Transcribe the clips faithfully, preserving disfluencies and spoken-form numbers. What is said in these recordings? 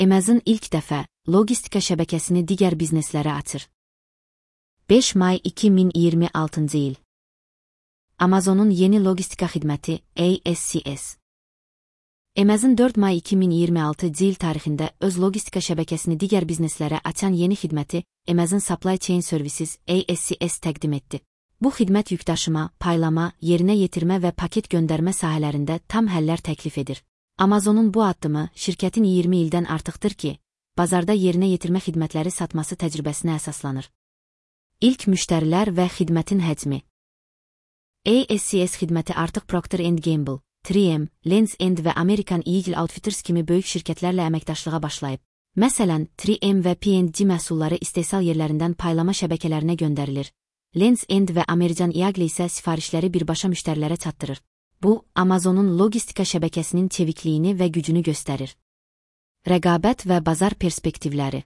Amazon ilk dəfə logistika şəbəkəsini digər bizneslərə açır. beş may iki min iyirmi altıncı il. Amazon'un yeni logistika xidməti A S C S. Amazon dörd may iki min iyirmi altıncı il tarixində öz logistika şəbəkəsini digər bizneslərə açan yeni xidməti Amazon Supply Chain Services A S C S təqdim etdi. Bu xidmət yükdaşıma, paylama, yerinə yetirmə və paket göndərmə sahələrində tam həllər təklif edir. Amazon'un bu addımı şirkətin iyirmi ildən artıqdır ki, bazarda yerinə yetirmə xidmətləri satması təcrübəsinə əsaslanır. İlk müştərilər və xidmətin həcmi. A S C S xidməti artıq Procter and Gamble, üç M, Lands' End və American Eagle Outfitters kimi böyük şirkətlərlə əməkdaşlığa başlayıb. Məsələn, üç M və P and G məhsulları istehsal yerlərindən paylama şəbəkələrinə göndərilir. Lands' End və American Eagle isə sifarişləri birbaşa müştərilərə çatdırır. Bu, Amazon'un logistika şəbəkəsinin çevikliyini və gücünü göstərir. Rəqabət və bazar perspektivləri.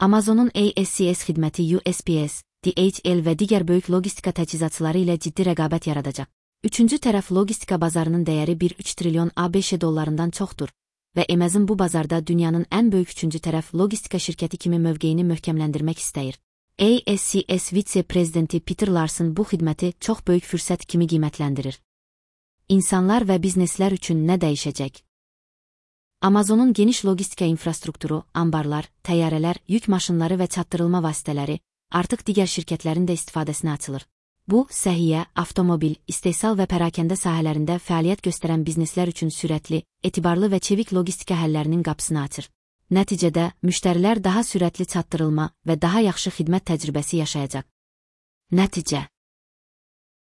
Amazon'un A S C S xidməti U S P S, D H L və digər böyük logistika təchizatçıları ilə ciddi rəqabət yaradacaq. Üçüncü tərəf logistika bazarının dəyəri bir nöqtə üç trilyon ABŞ dollarından çoxdur və Amazon bu bazarda dünyanın ən böyük üçüncü tərəf logistika şirkəti kimi mövqeyini möhkəmləndirmək istəyir. A S C S vitse-prezidenti Peter Larson bu xidməti çox böyük fürsət kimi qiymətləndirir. İnsanlar və bizneslər üçün nə dəyişəcək? Amazon'un geniş logistika infrastrukturu, ambarlar, təyyarələr, yük maşınları və çatdırılma vasitələri artıq digər şirkətlərin də istifadəsinə açılır. Bu, səhiyyə, avtomobil, istehsal və pərakəndə sahələrində fəaliyyət göstərən bizneslər üçün sürətli, etibarlı və çevik logistika həllərinin qapısını açır. Nəticədə, müştərilər daha sürətli çatdırılma və daha yaxşı xidmət təcrübəsi yaşayacaq. Nəticə.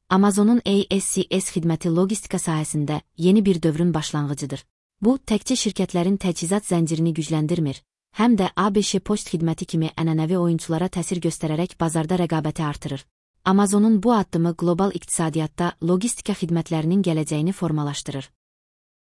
Amazon'un A S C S xidməti logistika sahəsində yeni bir dövrün başlanğıcıdır. Bu, təkcə şirkətlərin təchizat zəncirini gücləndirmir, həm də ABŞ poçt xidməti kimi ənənəvi oyunçulara təsir göstərərək bazarda rəqabəti artırır. Amazon'un bu addımı qlobal iqtisadiyyatda logistika xidmətlərinin gələcəyini formalaşdırır.